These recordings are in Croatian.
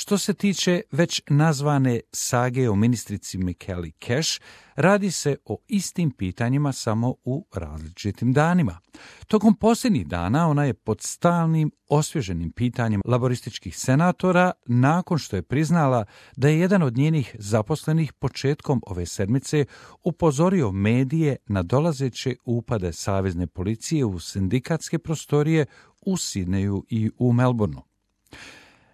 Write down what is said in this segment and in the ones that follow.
Što se tiče već nazvane sage o ministrici Michaeli Cash, radi se o istim pitanjima samo u različitim danima. Tokom posljednjih dana ona je pod stalnim osvježenim pitanjem laborističkih senatora nakon što je priznala da je jedan od njenih zaposlenih početkom ove sedmice upozorio medije na dolazeće upade savezne policije u sindikatske prostorije u Sidneju i u Melbourneu.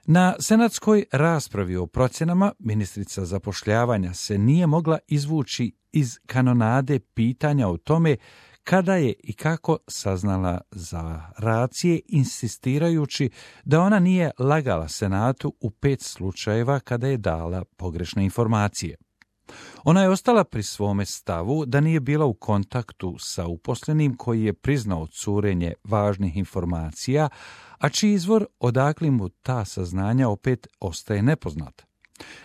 Na senatskoj raspravi o procjenama ministrica zapošljavanja se nije mogla izvući iz kanonade pitanja o tome kada je i kako saznala za racije, insistirajući da ona nije lagala Senatu u 5 slučajeva kada je dala pogrešne informacije. Ona je ostala pri svome stavu da nije bila u kontaktu sa uposlenim koji je priznao curenje važnih informacija, a čiji izvor odakle mu ta saznanja opet ostaje nepoznat.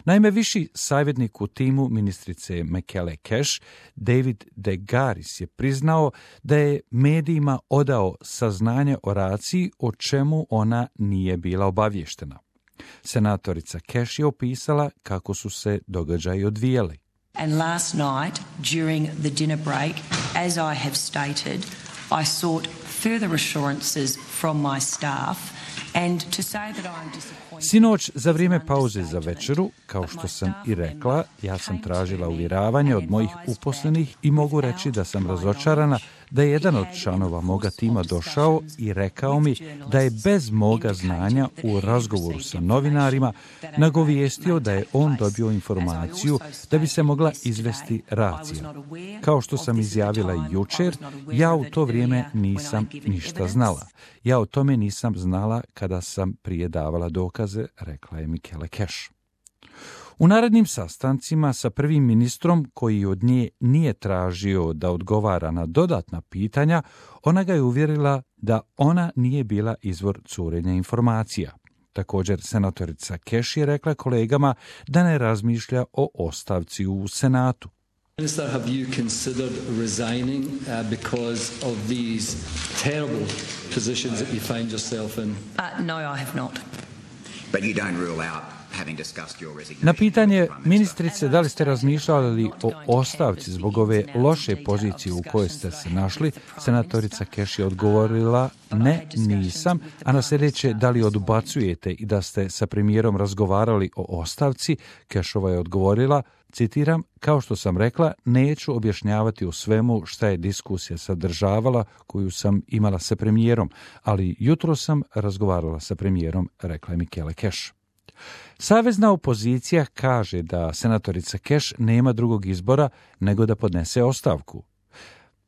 Naime, viši savjetnik u timu ministrice Michaeli Cash, David DeGaris, je priznao da je medijima odao saznanje o raciji o čemu ona nije bila obavještena. Senatorica Cash je opisala kako su se događaji odvijali. And last night, during the dinner break, as I have stated, I sought further assurances from my staff and to say that I am disappointed. Sinoć, za vrijeme pauze za večeru, kao što sam i rekla, ja sam tražila uvjeravanje od mojih uposlenih i mogu reći da sam razočarana da je jedan od članova moga tima došao i rekao mi da je bez moga znanja u razgovoru sa novinarima nagovijestio da je on dobio informaciju da bi se mogla izvesti racija. Kao što sam izjavila i jučer, ja u to vrijeme nisam ništa znala. Ja o tome nisam znala kada sam prije davala dokaze, rekla je Michaeli Cash. U narednim sastancima sa prvim ministrom, koji od nje nije tražio da odgovara na dodatna pitanja, ona ga je uvjerila da ona nije bila izvor curenja informacija. Također, senatorica Cash je rekla kolegama da ne razmišlja o ostavci u Senatu. Minister, have you considered resigning because of these terrible positions that you find yourself in? No, I have not. But you don't rule out having discussed your resignation. Na pitanje ministrice da li ste razmišljali o ostavci zbog ove loše pozicije u kojoj ste se našli, senatorica Cash je odgovorila ne, nisam, a na sljedeće da li odbacujete i da ste sa premijerom razgovarali o ostavci, Cashova je odgovorila, citiram, kao što sam rekla, neću objašnjavati u svemu šta je diskusija sadržavala koju sam imala sa premijerom, ali jutro sam razgovarala sa premijerom, rekla je Michaeli Cash. Savezna opozicija kaže da senatorica Cash nema drugog izbora nego da podnese ostavku.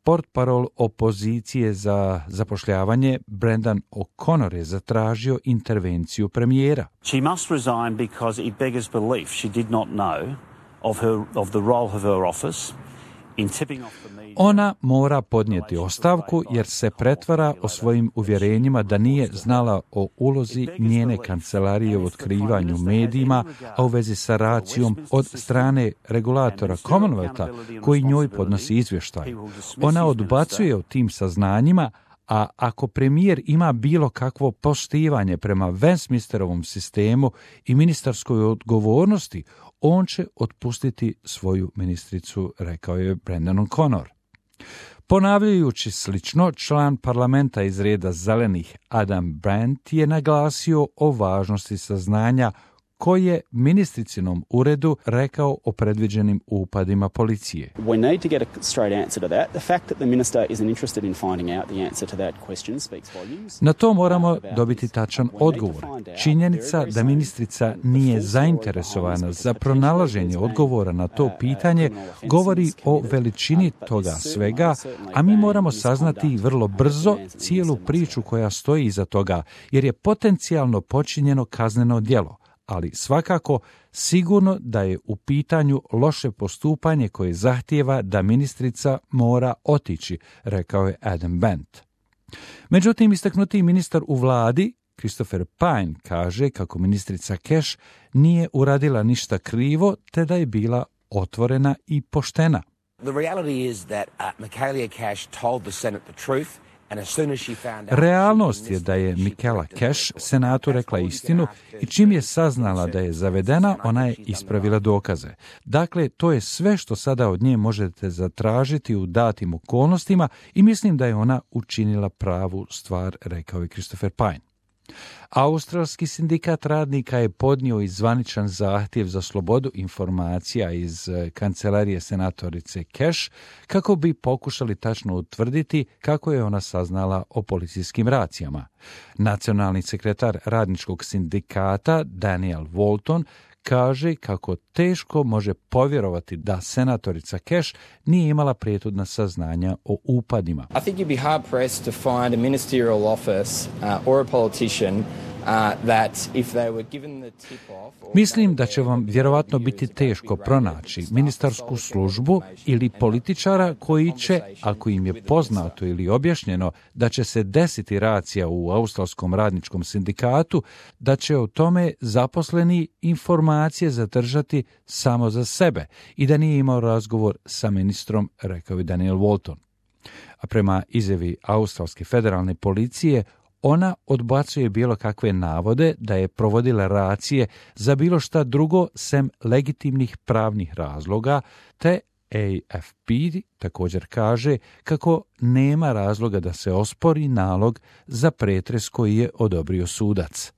Portparol opozicije za zapošljavanje Brendan O'Connor je zatražio intervenciju premijera. She must resign because it beggars belief she did not know of the role of her office in tipping off the media. Ona mora podnijeti ostavku jer se pretvara o svojim uvjerenjima da nije znala o ulozi njene kancelarije u otkrivanju medijima, a u vezi sa racijom od strane regulatora Commonwealtha koji njoj podnosi izvještaj. Ona odbacuje o tim saznanjima, a ako premijer ima bilo kakvo poštivanje prema Westminsterovom sistemu i ministarskoj odgovornosti, on će otpustiti svoju ministricu, rekao je Brendan O'Connor. Ponavljajući slično, član parlamenta iz reda zelenih Adam Brandt je naglasio o važnosti saznanja koji je ministricinom uredu rekao o predviđenim upadima policije. We need to get a straight answer to that. The fact that the minister isn't interested in finding out the answer to that question speaks volumes. Na to moramo dobiti tačan odgovor. Činjenica da ministrica nije zainteresovana za pronalaženje odgovora na to pitanje govori o veličini toga svega, a mi moramo saznati vrlo brzo cijelu priču koja stoji iza toga, jer je potencijalno počinjeno kazneno djelo. Ali svakako sigurno da je u pitanju loše postupanje koje zahtijeva da ministrica mora otići, rekao je Adam Brandt. Međutim, istaknuti ministar u vladi, Christopher Pyne, kaže kako ministrica Cash nije uradila ništa krivo, te da je bila otvorena i poštena. The reality is that Michaeli Cash told the Senate the truth Realnost je da je Michaela Cash senatu rekla istinu i čim je saznala da je zavedena, ona je ispravila dokaze. Dakle, to je sve što sada od nje možete zatražiti u datim okolnostima i mislim da je ona učinila pravu stvar, rekao je Christopher Pine. Australski sindikat radnika je podnio i zvaničan zahtjev za slobodu informacija iz kancelarije senatorice Cash kako bi pokušali tačno utvrditi kako je ona saznala o policijskim racijama. Nacionalni sekretar radničkog sindikata Daniel Walton kaže kako teško može povjerovati da senatorica Cash nije imala prijethodna saznanja o upadima. I think you'd be hard pressed to find a ministerial office or a politician that if they were given the tip off. Mislim da će vam vjerovatno biti teško pronaći ministarsku službu ili političara koji će, ako im je poznato ili objašnjeno da će se desiti racija u Australskom radničkom sindikatu, da će o tome zaposleni informacije zadržati samo za sebe i da nije imao razgovor sa ministrom, rekao je Daniel Walton. A prema izjavi Australske federalne policije, ona odbacuje bilo kakve navode da je provodila racije za bilo šta drugo sem legitimnih pravnih razloga, te AFP također kaže kako nema razloga da se ospori nalog za pretres koji je odobrio sudac.